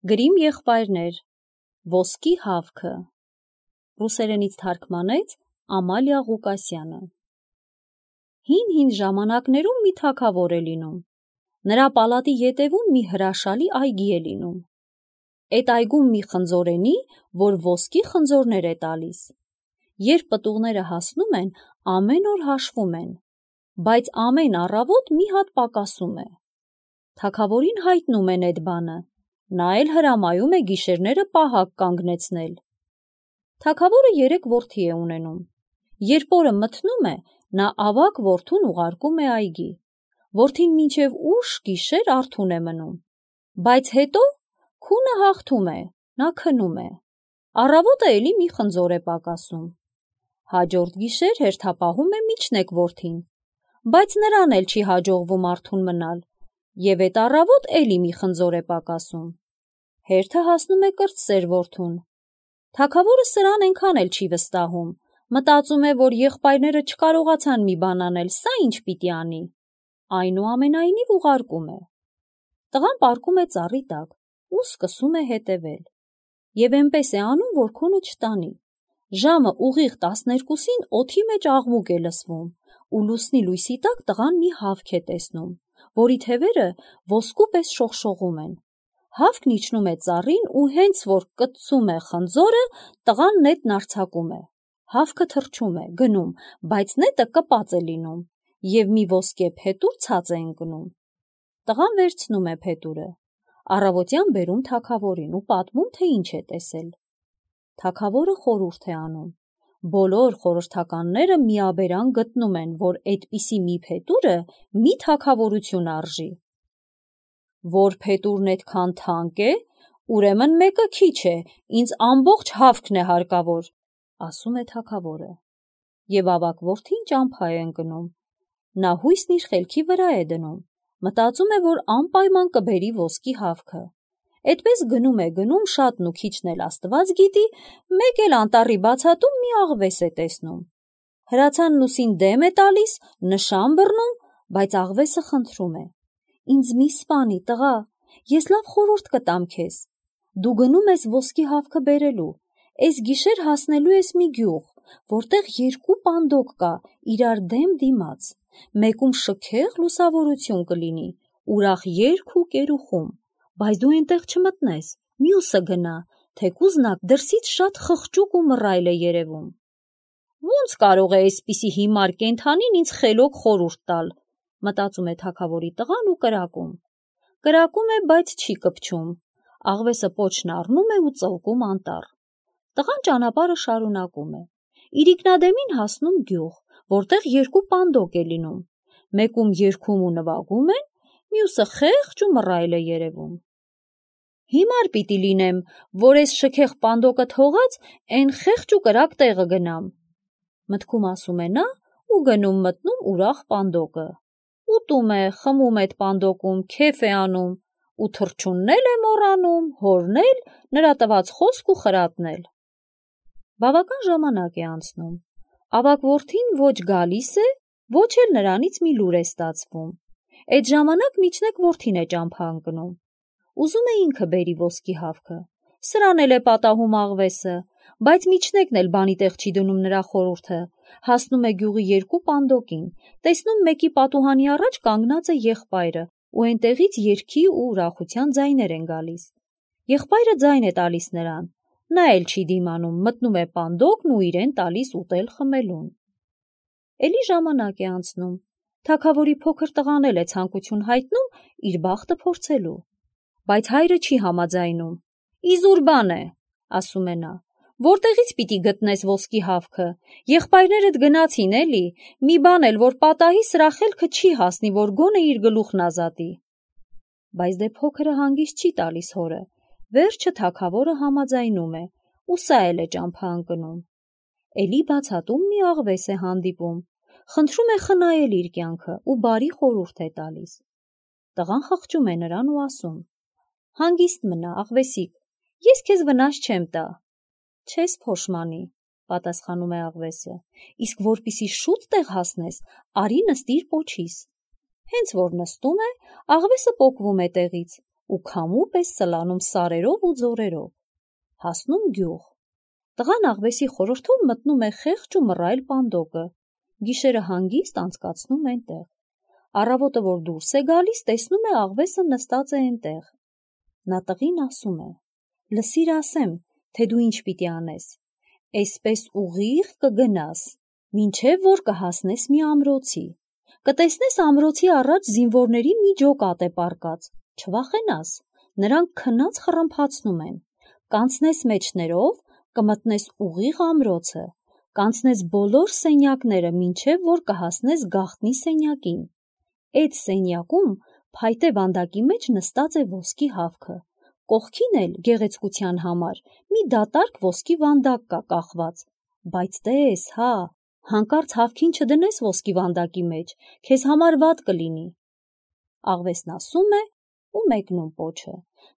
Գրիմ եղբայրներ, ոսկի հավքը, ռուսերենից թարգմանեց Ամալիա Ղուկասյանը։ Հին ժամանակներում մի թագավոր է լինում, նրա պալատի ետևում մի հրաշալի այգի է լինում, այդ այգում մի խնձորենի, որ ոսկի խնձորներ է տալիս, երբ պտուղները հասնում են, ամեն օր հաշվում են, բայց ամեն առավոտ մի հատ պակասում է, թագավորին հայտնում են այդ բանը, նա էլ հրամայում է գիշերները պահակ կանգնեցնել։ Թագավորը 3 որդի է ունենում, երբ օրը մթնում է, նա ավագ որդուն ուղարկում է այգի, որդին մինչև ուշ գիշեր արթուն է մնում, բայց հետո քունը հաղթում է, նա քնում է, առավոտը էլի մի խնձոր է պակասում, հաջորդ գիշեր հերթապահում է միջնեկ որդին, բայց նրան էլ չի հաջողվում արթուն մնալ, և այդ առավոտ էլի մի խնձոր է պակասում, հերթը հասնում է կրտսեր որդուն, թագավորը սրան ենքան էլ չի վստահում, մտածում է, որ եղբայրները չկարողացան մի բան անել, սա ինչ պիտի անի, այնուամենայնիվ ուղարկում է, տղան պառկում է ծառի տակ ու սկսում է հետևել, և էնպես է անում, որ քունը չտանի, ժամը ուղիղ 12-ին օդի մեջ աղմուկ է լսվում, ու լուսնի լույսի տակ տղան մի հավք է տեսնում, որի թևերը ոսկու պես շողշողում են, հավքն իջնում է ծառին ու հենց որ կծում է խնձորը, տղան նետն արձակում է, հավքը թռչում է, գնում, բայց նետը կպած է լինում, և մի ոսկե փետուր ցած է ընկնում, տղան վերցնում է փետուրը, առավոտյան բերում թագավորին ու պատմում, թե ինչ է տեսել, թագավորը խորհուրդ է անում, բոլոր խորհրդականները միաբերան գտնում են, որ այդպիսի մի փետուրը մի թագավորություն արժի, որ փետուրն այդքան թանկ է, ուրեմն մեկը քիչ է, ինձ ամբողջ հավքն է հարկավոր, ասում է թագավորը, և ավագ որդին ճամփա է ընկնում, նա հույսն իր խելքի վրա է դնում, մտածում է, որ անպայման կբերի ոսկի հավքը, այդպես գնում է, շատն ու քիչն էլ Աստված գիտի, մեկ էլ անտառի բացատում մի աղվես է տեսնում, հրացանն ուսին դեմ է տալիս, նշան բռնում, բայց աղվեսը խնդրում է, ինձ մի սպանի, տղա, ես լավ խորհուրդ կտամ քեզ, դու գնում ես ոսկի հավքը բերելու, այս գիշեր հասնելու ես մի գյուղ, որտեղ 2 պանդոկ կա, իրար դեմ դիմաց, մեկում շքեղ լուսավորություն կլինի, ուրախ երգ ու կերուխում, բայց դու այնտեղ չմտնես, մյուսը գնա, թեկուզ նա դրսից շատ խղճուկ ու մռայլ է երևում։ Ոնց կարող է այսպիսի հիմար կենդանին ինձ խելոք խորհուրդ տալ, մտածում է թագավորի տղան ու կրակում է, բայց չի կպչում, աղվեսը պոչն առնում է ու ծլկում անտառ, տղան ճանապարհը շարունակում է, իր ինքնադեմին հասնում գյուղ, որտեղ 2 պանդոկ է լինում, մեկում երգում ու նվագում են, մյուսը խեղճ ու մռայլ է երևում։ Հիմար պիտի լինեմ, որ այս շքեղ պանդոկը թողած, այն խեղճ ու կրակ տեղը գնամ, մտքում ասում է նա ու գնում մտնում ուրախ պանդոկը, ուտում է, խմում այդ պանդոկում, քեֆ է անում, ու թռչունն էլ է մոռանում, հորն էլ, նրա տված խոսք ու խրատն էլ։ Բավական ժամանակ է անցնում, ավագ որդին ոչ գալիս է, ոչ էլ նրանից մի լուր է ստացվում, այդ ժամանակ միջնեկ որդին է ճամփա ընկնում, ուզում է ինքը բերի ոսկի հավքը, սրան էլ է պատահում աղվեսը, բայց միջնեկն էլ բանի տեղ չի դնում նրա խորհուրդը, հասնում է գյուղի 2 պանդոկին, տեսնում մեկի պատուհանի առաջ կանգնած է եղբայրը, ու այնտեղից երգի ու ուրախության ձայներ են գալիս, եղբայրը ձայն է տալիս նրան, նա էլ չի դիմանում, մտնում է պանդոկն ու իրեն տալիս ուտել խմելուն։ Էլի ժամանակ է անցնում, թագավորի փոքր տղան էլ է ցանկություն հայտնում իր բախտը փորձելու, բայց հայրը չի համաձայնում, իզուր բան է, ասում է նա, որտեղից պիտի գտնես ոսկի հավքը, եղբայրներդ գնացին էլի, մի բան էլ որ պատահի սրա խելքը չի հասնի, որ գոնե իր գլուխն ազատի, բայց դե փոքրը հանգիստ չի տալիս հորը, վերջը թագավորը համաձայնում է, ու սա էլ է ճամփա ընկնում, էլի բացատում մի աղվես է հանդիպում, խնդրում է խնայել իր կյանքը ու բարի խորհուրդ է տալիս, տղան խղճում է նրան ու ասում, հանգիստ մնա, աղվեսիկ, ես քեզ վնաս չեմ տա, չես փոշմանի, պատասխանում է աղվեսը, իսկ որպիսի շուտ տեղ հասնես, արի նստիր պոչիս, հենց որ նստում է, աղվեսը պոկվում է տեղից, ու քամու պես սլանում սարերով ու ձորերով։ Հասնում գյուղ։ Տղան աղվեսի խորհրդով մտնում է խեղճ ու մռայլ պանդոկը, գիշերը հանգիստ անցկացնում այնտեղ։ Առավոտը, որ դուրս է գալիս, տեսնում է աղվեսը նստած է այնտեղ։ Նա տղին ասում է. «Լսիր ասեմ, թե դու ինչ պիտի անես։ Էսպես ուղիղ կգնաս, մինչև որ կհասնես մի ամրոցի։ Կտեսնես ամրոցի առաջ զինվորների մի ջոկատ է պառկած, չվախենաս, նրանք քնած խռմփացնում են։ Կանցնես մեջներով, կմտնես ուղիղ ամրոցը, կանցնես բոլոր սենյակները, մինչև որ կհասնես գաղտնի սենյակին։ Այդ սենյակում փայտե վանդակի մեջ նստած է ոսկի հավքը, կողքին էլ գեղեցկության համար մի դատարկ ոսկի վանդակ կա կախված, բայց տես, հա, հանկարծ հավքին չդնես ոսկի վանդակի մեջ, քեզ համար վատ կլինի»։ Աղվեսն ասում է ու մեկնում պոչը։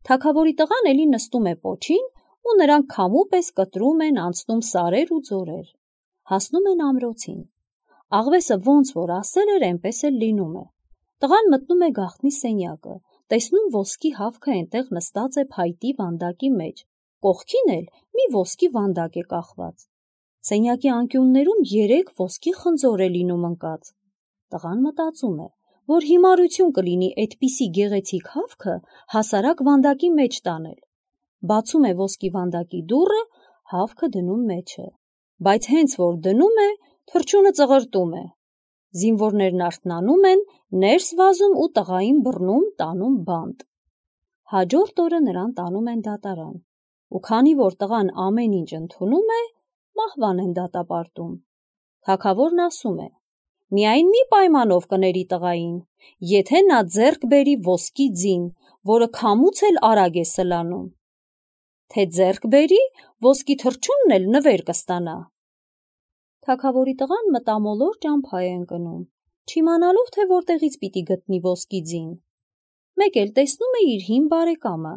Թագավորի տղան էլի նստում է պոչին ու նրանք քամու պես կտրում են, անցնում սարեր ու ձորեր։ Հասնում են ամրոցին։ Աղվեսը ոնց որ ասել էր, այնպես էլ լինում է։ Տղան մտնում է գաղտնի սենյակը, տեսնում ոսկի հավքը այնտեղ նստած է փայտի վանդակի մեջ, կողքին էլ մի ոսկի վանդակ է կախված։ Սենյակի անկյուններում 3 ոսկի խնձոր է լինում ընկած։ Տղան մտածում է, որ հիմարություն կլինի այդպիսի գեղեցիկ հավքը հասարակ վանդակի մեջ տանել։ Բացում է ոսկի վանդակի դուռը, հավքը դնում մեջը։ Բայց հենց որ դնում է, թռչունը ծղրտում է։ Զինվորներն արթնանում են, ներս վազում ու տղային բռնում, տանում բանտ։ Հաջորդ օրը նրան տանում են դատարան։ Ու քանի որ տղան ամեն ինչ ընդունում է, մահվան են դատապարտում։ Թագավորն ասում է. «Միայն մի պայմանով կների տղային, եթե նա ձեռք բերի ոսկի ձին, որը քամուց էլ արագ է սլանում։ Թե ձեռք բերի, ոսկի թռչունն էլ նվեր կստանա»։ Թագավորի տղան մտամոլոր ճամփա է ընկնում, չիմանալով, թե որտեղից պիտի գտնի ոսկի ձին։ Մեկ էլ տեսնում է իր հին բարեկամը,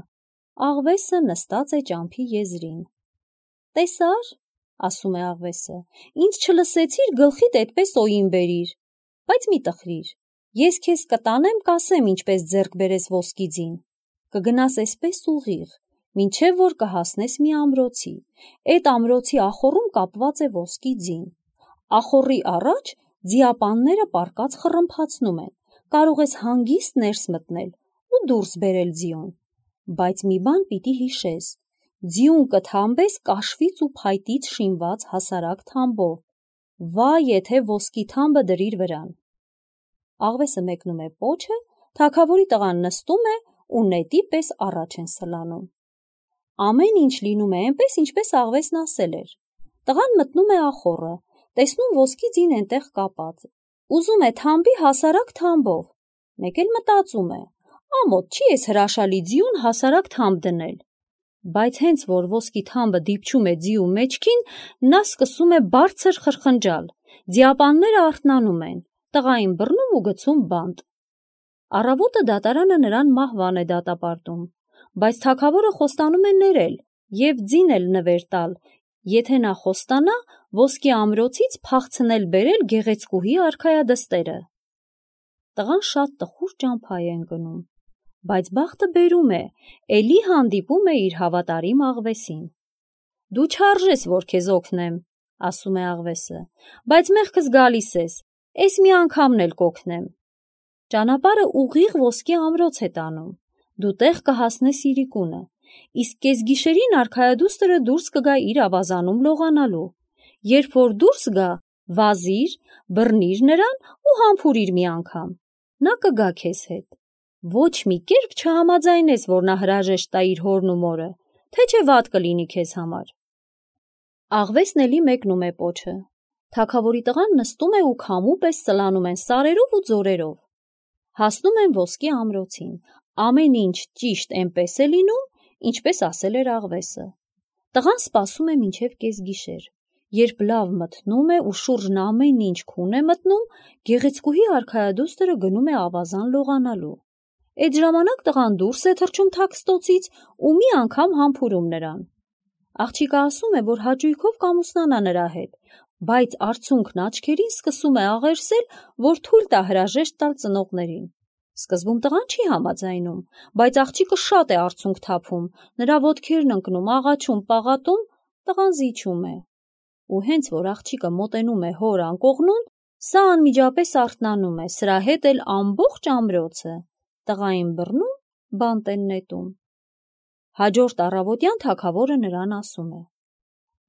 աղվեսը նստած է ճամփի եզրին։ «Տեսա՞ր», ասում է աղվեսը, «ինձ չլսեցիր, գլխիդ այդպես օին բերիր, բայց մի տխրիր, ես քեզ կտանեմ, կասեմ ինչպես ձեռք բերես ոսկի ձին, կգնաս այսպես ուղիղ, մինչև որ կհասնես մի ամրոցի, այդ ամրոցի ախոռում կապված է ոսկի ձին, ախոռի առաջ ձիապանները պառկած խռմփացնում են, կարող ես հանգիստ ներս մտնել ու դուրս բերել ձիուն, բայց մի բան պիտի հիշես, ձիուն կթամբես կաշվից ու փայտից շինված հասարակ թամբով, վայ եթե ոսկի թամբը դրիր վրան»։ Աղվեսը մեկնում է պոչը, թագավորի տղան նստում է ու նետի պես առաջ են սլանում։ Ամեն ինչ լինում է այնպես, ինչպես աղվեսն ասել էր։ Տղան մտնում է ախոռը, տեսնում ոսկի ձին այնտեղ կապած, ուզում է թամբի հասարակ թամբով, մեկ էլ մտածում է. ամոթ չի էս հրաշալի ձիուն հասարակ թամբ դնել, բայց հենց որ ոսկի թամբը դիպչում է ձիու մեջքին, նա սկսում է բարձր խրխնջալ, ձիապանները արթնանում են, տղային բռնում ու գցում բանտ։ Առավոտը դատարանը նրան մահվան է դատապարտում, բայց թագավորը խոստանում է ներել և ձին էլ նվեր տալ, եթե նա խոստանա ոսկի ամրոցից փախցնել բերել գեղեցկուհի արքայադստերը։ Տղան շատ տխուր ճամփա է ընկնում, բայց բախտը բերում է, էլի հանդիպում է իր հավատարիմ աղվեսին։ «Դու չարժես, որ քեզ օգնեմ», ասում է աղվեսը, «բայց մեղքս գալիս ես, էս մի անգամն էլ կօգնեմ»։ Ճանապարհը ուղիղ ոսկի ամրոց է տանում, դու տեղ կհասնես իրիկունը, իսկ կեսգիշերին արքայադուստրը դուրս կգա իր ավազանում լողանալու։ Երբ որ դուրս գա, վազիր, բռնիր նրան ու համբուրիր մի անգամ, նա կգա քեզ հետ։ Ոչ մի կերպ չհամաձայնես, որ նա հրաժեշտ տա իր հորն ու մորը, թե չէ վատ կլինի քեզ համար։ Աղվեսն էլի մեկնում է պոչը։ Թագավորի տղան նստում է ու քամու պես սլանում են սարերով ու ձորերով։ Հասնում են ոսկի ամրոցին, ամեն ինչ ճիշտ այնպես է լինում, ինչպես ասել էր աղվեսը։ Տղան սպասում է մինչև կեսգիշեր։ Երբ լավ մթնում է ու շուրջն ամեն ինչ քուն է մտնում, գեղեցկուհի արքայադուստրը գնում է ավազան լողանալու։ Այդ ժամանակ տղան դուրս է թռչում թաքստոցից ու մի անգամ համբուրում նրան։ Աղջիկը ասում է, որ հաճույքով կամուսնանա նրա հետ, բայց արցունքն աչքերին սկսում է աղերսել, որ թույլ տա հրաժեշտ տալ ծնողներին։ Սկզբում տղան չի համաձայնում, բայց աղջիկը շատ է արցունք թափում, նրա ոտքերն ընկնում, աղաչում, պաղատում, տղան զիջում է։ Ու հենց որ աղջիկը մոտենում է հոր անկողնուն, սա անմիջապես արթնանում է, սրա հետ էլ ամբողջ ամրոցը, տղային բռնում, բանտ են նետում։ Հաջորդ առավոտյան թագավորը նրան ասում է.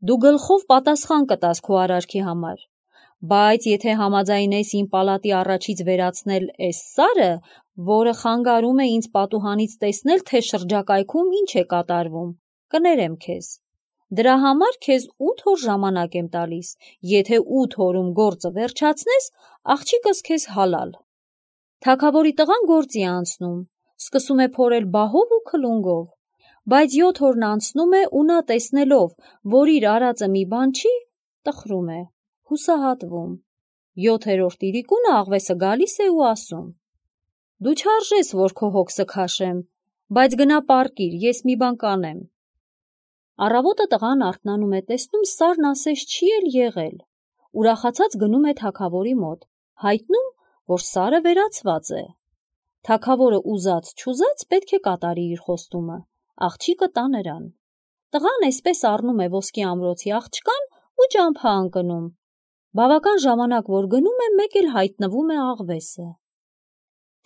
«Դու գլխով պատասխան կտաս քո արարքի համար, բայց եթե համաձայնես իմ պալատի առաջից վերացնել այս սարը, որը խանգարում է ինձ պատուհանից տեսնել, թե շրջակայքում ինչ է կատարվում, կներեմ քեզ։ Դրա համար քեզ 8 օր ժամանակ եմ տալիս, եթե 8 օրում գործը վերջացնես, աղջիկս քեզ հալալ»։ Թագավորի տղան գործի է անցնում, սկսում է փորել բահով ու քլունգով, բայց 7 օրն անցնում է ու նա տեսնելով, որ իր արածը մի բան չի, տխրում է, հուսահատվում։ 7-րդ իրիկունը աղվեսը գալիս է ու ասում. «Դու չարժես, որ քո հոգսը քաշեմ, բայց գնա պառկիր, ես մի բան կանեմ»։ Առավոտը տղան արթնանում է, տեսնում սարն ասես չի էլ եղել, ուրախացած գնում է թագավորի մոտ, հայտնում, որ սարը վերացված է։ Թագավորը ուզած-չուզած պետք է կատարի իր խոստումը, աղջիկը տա նրան։ Տղան այսպես առնում է ոսկի ամրոցի աղջկան ու ճամփա ընկնում։ Բավական ժամանակ որ գնում է, մեկ էլ հայտնվում է աղվեսը։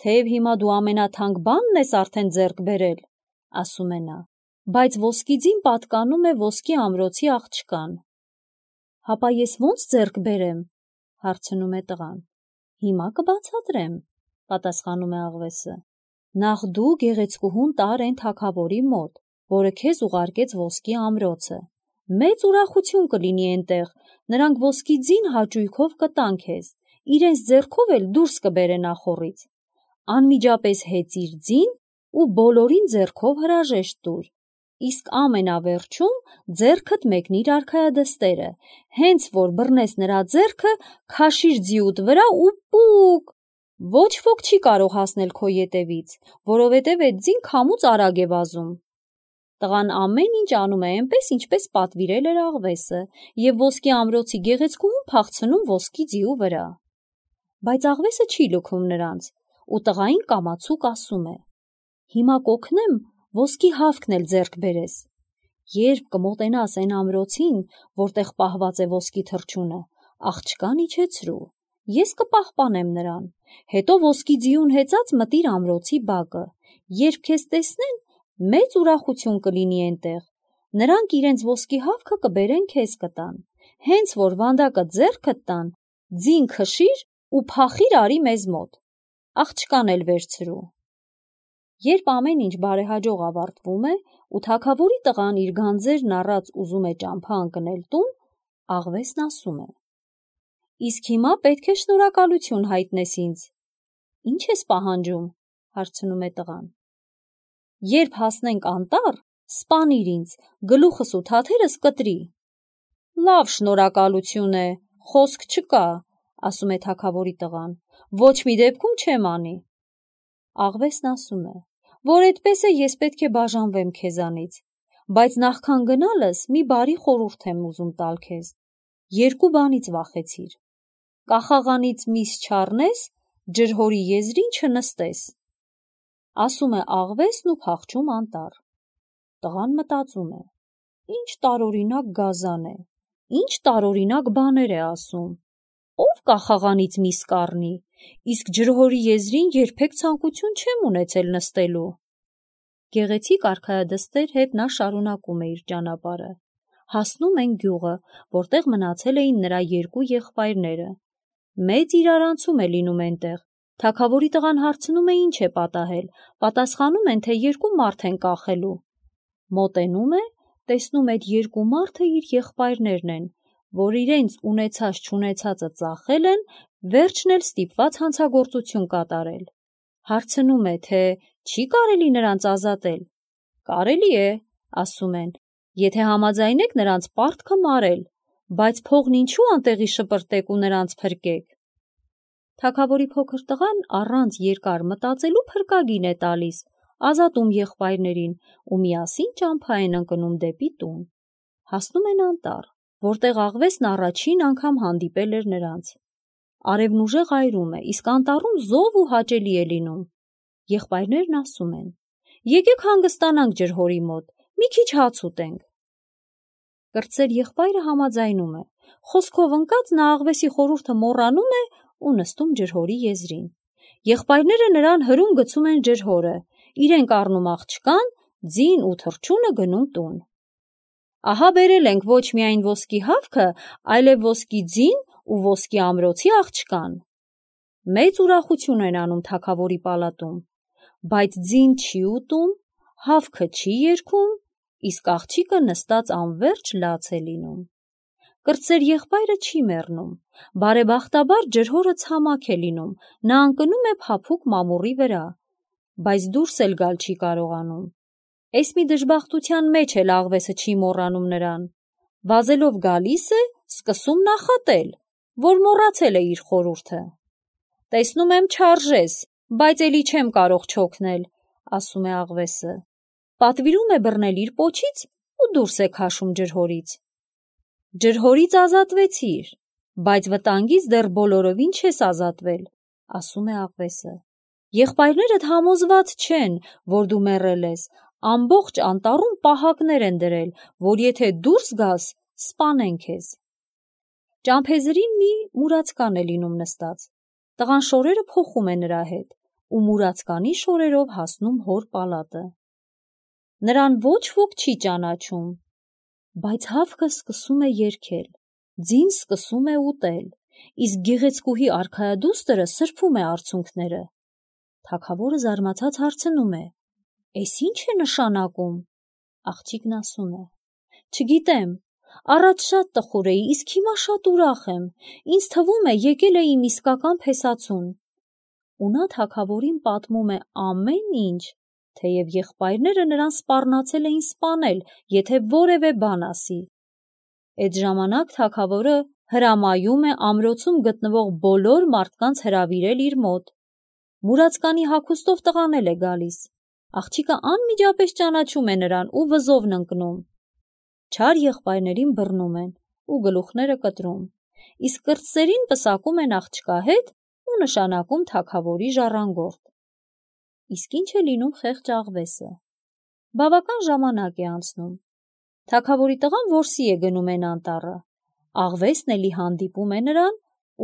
«Թեև հիմա դու ամենաթանկ բանն ես արդեն ձեռք բերել», ասում է նա, «բայց ոսկի ձին պատկանում է ոսկի ամրոցի աղջկան»։ «Հապա ես ո՞նց ձեռք բերեմ», հարցնում է տղան։ «Հիմա կբացատրեմ», պատասխանում է աղվեսը։ «Նախ դու գեղեցկուհուն տար այն թագավորի մոտ, որը քեզ ուղարկեց ոսկի ամրոցը։ Մեծ ուրախություն կլինի այնտեղ, նրանք ոսկի ձին հաճույքով կտան քեզ, իրենց ձեռքով էլ դուրս կբերեն ախոռից։ Անմիջապես հեծիր ձին ու բոլորին ձեռքով հրաժեշտ տուր, իսկ ամենավերջում ձեռքդ մեկնիր արքայադստերը, հենց որ բռնես նրա ձեռքը, քաշիր ձիուդ վրա ու պուկ, ոչ ոք չի կարող հասնել քո ետևից, որովհետև այդ ձին քամուց արագ է վազում»։ Տղան ամեն ինչ անում է այնպես, ինչպես պատվիրել էր աղվեսը, և ոսկի ամրոցի գեղեցկուհուն փախցնում ոսկի ձիու վրա։ Բայց աղվեսը չի լքում նրանց, ու տղային կամացուկ ասում է. «Հիմա կօգնեմ ոսկի հավքն էլ ձեռք բերես։ Երբ կմոտենաս այն ամրոցին, որտեղ պահված է ոսկի թռչունը, աղջկան իջեցրու, ես կպահպանեմ նրան, հետո ոսկի ձիուն հեծած մտիր ամրոցի բակը, երբ քեզ տեսնեն, մեծ ուրախություն կլինի այնտեղ, նրանք իրենց ոսկի հավքը կբերեն քեզ կտան, հենց որ վանդակը ձեռքդ տան, ձին քշիր ու փախիր արի մեզ մոտ, աղջկան էլ վերցրու»։ Երբ ամեն ինչ բարեհաջող ավարտվում է ու թագավորի տղան իր գանձերն առած ուզում է ճամփա ընկնել տուն, աղվեսն ասում է. «Իսկ հիմա պետք է շնորհակալություն հայտնես ինձ»։ «Ինչ ես պահանջում», հարցնում է տղան։ «Երբ հասնենք անտառ, սպանիր ինձ, գլուխս ու թաթերս կտրի»։ «Լավ շնորհակալություն է, խոսք չկա», ասում է թագավորի տղան, «ոչ մի դեպքում չեմ անի»։ Աղվեսն ասում է, որ այդպես է, ես պետք է բաժանվեմ քեզանից, բայց նախքան գնալս մի բարի խորհուրդ եմ ուզում տալ քեզ։ Երկու բանից վախեցիր. կախաղանից միս չառնես, ջրհորի եզրին չնստես։ Ասում է աղվեսն ու փախչում անտառ։ Տղան մտածում է. ինչ տարօրինակ գազան է, ինչ տարօրինակ բաներ է ասում։ Ով կախաղանից միս կառնի, իսկ ջրհորի եզրին երբեք ցանկություն չեմ ունեցել նստելու։ Գեղեցիկ արքայադստեր հետ նա շարունակում է իր ճանապարհը։ Հասնում են գյուղը, որտեղ մնացել էին նրա երկու եղբայրները։ Մեծ իրարանցում է լինում այնտեղ։ Թագավորի տղան հարցնում է ինչ է պատահել, պատասխանում են, թե երկու մարդ են կախելու։ Մոտենում է, տեսնում այդ երկու մարդը իր եղբայրներն են, որ իրենց ունեցած-չունեցածը ծախել են, վերջն էլ ստիպված հանցագործություն կատարել։ Հարցնում է, թե չի կարելի նրանց ազատել։ Կարելի է, ասում են, եթե համաձայնեք նրանց պարտքը մարել, բայց փողն ինչու անտեղի շպրտեք ու նրանց փրկեք։ Թագավորի փոքր տղան առանց երկար մտածելու փրկագին է տալիս, ազատում եղբայրներին ու միասին ճամփա են ընկնում դեպի տուն։ Հասնում են անտառ, որտեղ աղվեսն առաջին անգամ հանդիպել էր նրանց։ Արևն ուժեղ այրում է, իսկ անտառում զով ու հաճելի է լինում։ Եղբայրներն ասում են. «Եկեք հանգստանանք ջրհորի մոտ, մի քիչ հաց ուտենք»։ Կրտսեր եղբայրը համաձայնում է, խոսքով ընկած նա աղվեսի խորհուրդը մոռանում է ու նստում ջրհորի եզրին։ Եղբայրները նրան հրում գցում են ջրհորը, իրենք առնում աղջկան, ձին ու թռչունը գնում տուն։ Ահա բերել ենք ոչ միայն ոսկի հավքը, այլև ոսկի ձին ու ոսկի ամրոցի աղջկան։ Մեծ ուրախություն են անում թագավորի պալատում, բայց ձին չի ուտում, հավքը չի երգում, իսկ աղջիկը նստած անվերջ լաց է լինում։ Կրտսեր եղբայրը չի մեռնում, բարեբախտաբար ջրհորը ցամաք է լինում, նա ընկնում է փափուկ մամուռի վրա, բայց դուրս էլ գալ չի կարողանում։ Էս մի դժբախտության մեջ էլ աղվեսը չի մոռանում նրան, վազելով գալիս է, սկսում նախատել, որ մոռացել է իր խորհուրդը։ «Տեսնում եմ չարժես, բայց էլի չեմ կարող չօգնել», ասում է աղվեսը։ Պատվիրում է բռնել իր պոչից ու դուրս է քաշում ջրհորից։ «Ջրհորից ազատվեցիր, բայց վտանգից դեռ բոլորովին չես ազատվել», ասում է աղվեսը։ «Եղբայրներդ համոզված չեն, որ դու մեռել ես, ամբողջ անտառում պահակներ են դրել, որ եթե դուրս գաս, սպանեն քեզ»։ Ճամփեզրին մի մուրացկան է լինում նստած։ Տղան շորերը փոխում է նրա հետ ու մուրացկանի շորերով հասնում հոր պալատը։ Նրան ոչ ոք չի ճանաչում, բայց հավքը սկսում է երգել, ձին սկսում է ուտել, իսկ գեղեցկուհի արքայադուստրը սրբում է արցունքները։ Թագավորը զարմացած հարցնում է. «Էս ի՞նչ է նշանակում»։ Աղջիկն ասում է. «Չգիտեմ, առաջ շատ տխուր էի, իսկ հիմա շատ ուրախ եմ, ինձ թվում է եկել է իմ իսկական փեսացուն»։ Ու նա թագավորին պատմում է ամեն ինչ, թեև եղբայրները նրան սպառնացել էին սպանել, եթե որևէ բան ասի։ Էդ ժամանակ թագավորը հրամայում է ամրոցում գտնվող բոլոր մարդկանց հրավիրել իր մոտ։ Մուրացկանի հագուստով տղան էլ է գալիս։ Աղջիկը անմիջապես ճանաչում է նրան ու վզովն ընկնում։ Չար եղբայրներին բռնում են ու գլուխները կտրում, իսկ կրտսերին պսակում են աղջկա հետ ու նշանակում թագավորի ժառանգորդ։ Իսկ ինչ է լինում խեղճ աղվեսը։ Բավական ժամանակ է անցնում։ Թագավորի տղան որսի է գնում են անտառը։ Աղվեսն էլի հանդիպում է նրան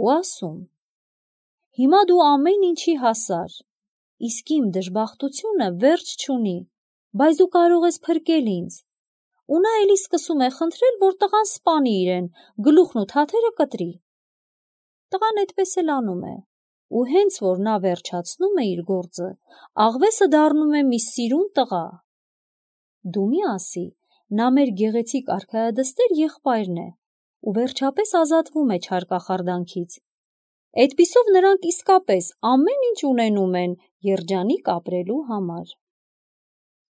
ու ասում. «Հիմա դու ամեն ինչի հասար, իսկ իմ դժբախտությունը վերջ չունի, բայց դու կարող ես փրկել ինձ»։ Ու նա էլի սկսում է խնդրել, որ տղան սպանի իրեն, գլուխն ու թաթերը կտրի։ Տղան այդպես էլ անում է, ու հենց որ նա վերջացնում է իր գործը, աղվեսը դառնում է մի սիրուն տղա։ Դու մի ասի, նա մեր գեղեցիկ արքայադստեր եղբայրն է ու վերջապես ազատվում է չար կախարդանքից։ Այդպիսով նրանք իսկապես ամեն ինչ ունենում են երջանիկ ապրելու համար։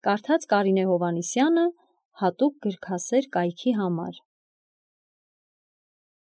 Կարդաց Կարինե Հովհաննիսյանը հատուկ գրքասեր կայքի համար։